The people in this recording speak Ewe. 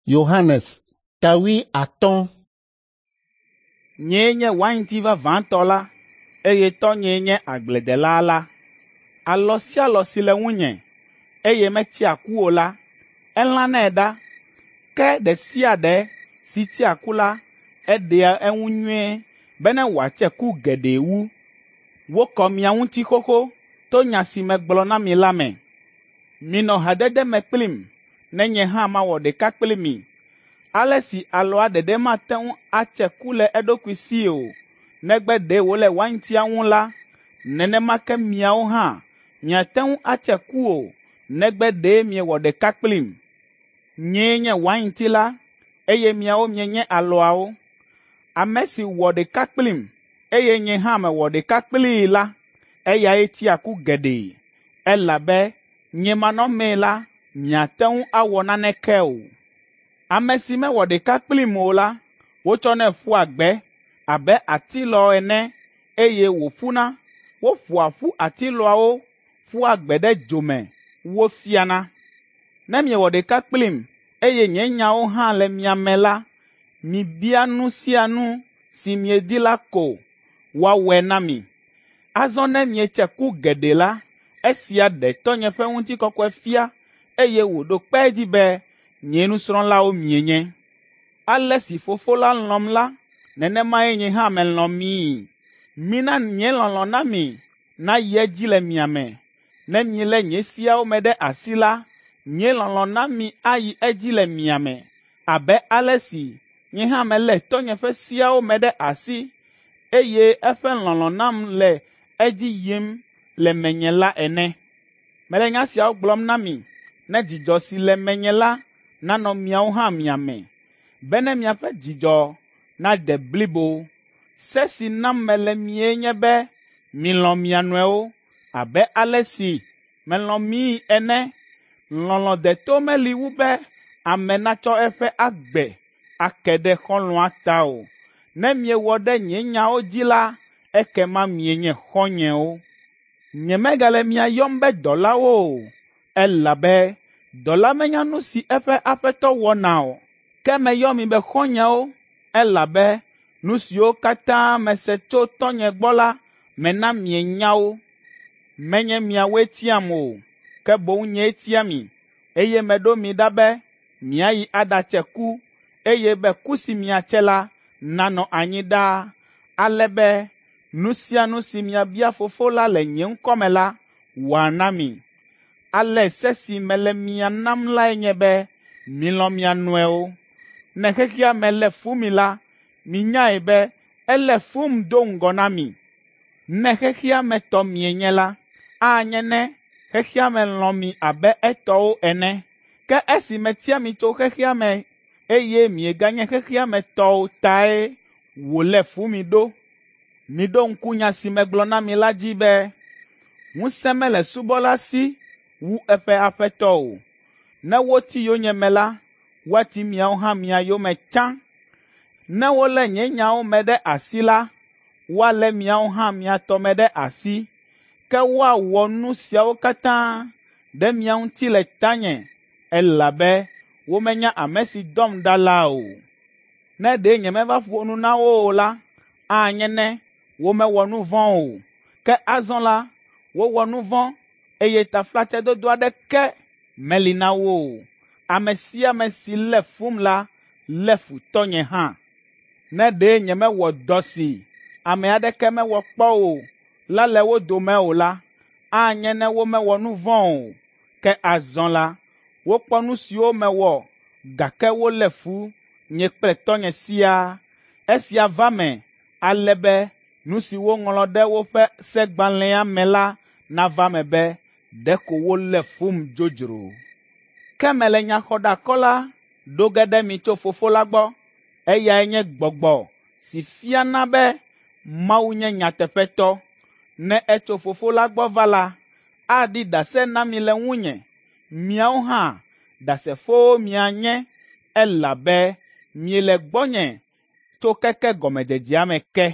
Yohanes ta 50. Nyee nye wainti vavãtɔ la, eye Tɔ́nyee nye agbledela la. Alɔ sia alɔ si le ŋunye, eye metsea ku o la, elãnɛ ɖa. Ke ɖe sia ɖe si tsea ku la, eɖea eŋu nyuie bene wòatse ku geɖe wu. Wokɔ mia ŋuti xoxo to nya si megblɔ na mi la me. Minɔ hadede me kplim ne nye hã mawɔ ɖeka kpli mi. Ale si alɔa ɖeɖe mate ŋu atse ku le eɖokui si o, negbe ɖe wòle waintia ŋu la, nenema ke miawo hã miate ŋu atse ku o, negbe ɖe miewɔ ɖeka kplim. Nyee nye wainti la, eye miawo mienye alɔawo. Ame si wɔ ɖeka kplim, eye nye hã mewɔ ɖeka kplii la, eyae tsea ku geɖe, elabe nye manɔmee la, miate ŋu awɔ naneke o. Ame si mewɔ ɖeka kplim o la, wotsɔnɛ ƒua gbe abe atilɔ ene eye wòƒuna. Woƒoa ƒu atilɔawo ƒua gbe ɖe dzo me wofiana. Ne miewɔ ɖeka kplim eye nye nyawo hã le mia me la, mibia nu sia nu si miedi la ko woawɔe na mi. Azɔ ne mietse ku geɖe la, esia ɖe Tɔ́nye ƒe ŋutikɔkɔe fia eye wòɖo kpe edzi be nye nusrɔ̃lawo mienye. Ale si Fofo la lɔ̃m la, nenemae nye hã melɔ̃ mii. Mina nye lɔlɔ̃ na mi nayi edzi le mia me. Ne mielé nye seawo me ɖe asi la, nye lɔlɔ̃ na mi ayi edzi le mia me abe ale si nye hã melé Tɔ́nye ƒe seawo me ɖe asi eye eƒe lɔlɔ̃ nam le edzi yim le menye la ene. Mele nya siawo gblɔm na mi ne dzidzɔ si le menye la nanɔ miawo hã mia me, bene miaƒe dzidzɔ nade blibo. Se si nam mele mie nye be milɔ̃ mia nɔewo abe ale si melɔ̃ mii ene. Lɔlɔ̃ deto meli wu be ame natsɔ eƒe agbe ake ɖe xɔlɔ̃a ta o. Ne miewɔ ɖe nye nyawo dzi la, ekema mienye xɔ̃nyewo. Nyemegale mia yɔm be dɔlawo o, elabe dɔla menya nu si eƒe aƒetɔ wɔna o. Ke meyɔ mi be xɔ̃nyewo, elabe nu siwo katã mese tso Tɔ́nye gbɔ la, mena mienya wo. Menye miawoe tiam o, ke boŋ nyee tia mi, eye meɖo mi ɖa be miayi aɖatse ku, eye be ku si miatse la nanɔ anyi ɖaa, ale be nu sia nu si miabia Fofo la le nye ŋkɔ me la, wòana mi. Ale se si mele mia nam lae nye be milɔ̃ mia nɔewo. Ne xexea me lé fu mi la, minyae be elé fum do ŋgɔ na mi. Ne xexea me tɔ mienye la, anye ne xexea me lɔ̃ mi abe etɔwo ene. Ke esi metia mi tso xexea me eye mieganye xexea me tɔwo tae wòlé fu mi ɖo. Miɖo ŋku nya si megblɔ na mi la dzi be, ŋusẽ mele subɔla si wu eƒe aƒetɔ o. Ne woti yonyeme la, woati miawo hã mia yome tsã. Ne wolé nye nyawo me ɖe asi la, woalé miawo hã mia tɔ me ɖe asi. Ke woawɔ nu siawo katã ɖe mia ŋuti le tanye, elabe womenya ame si dɔm ɖa la o. Ne ɖe nyemeva ƒo nu na wo o la, anye ne womewɔ nu vɔ̃ o. Ke azɔ la, wowɔ nu vɔ̃ eye taflatsedodo aɖeke meli na wo o. Ame sia ame si lé fum la, lé fu Tɔ́nye hã. Ne ɖe nyemewɔ dɔ si ame aɖeke mewɔ kpɔ o la le wo dome o la, anye ne womewɔ nu vɔ̃ o. Ke azɔ la, wokpɔ nu siwo mewɔ gake wolé fu nye kple Tɔ́nye siaa. Esia va me ale be nu si woŋlɔ ɖe woƒe segbalẽa me la nava eme be ɖeko wolé fum dzodzro. Ke mele nyaxɔɖeakɔla ɖo ge ɖe mi tso Fofo la gbɔ. Eyae nye Gbɔgbɔ si fiana be Mawu nye nyateƒetɔ. Ne etso Fofo la gbɔ va la, aɖi ɖase na mi le ŋunye. Miawo hã ɖasefowo mianye elabe miele gbɔnye tso keke gɔmedzedzea me ke.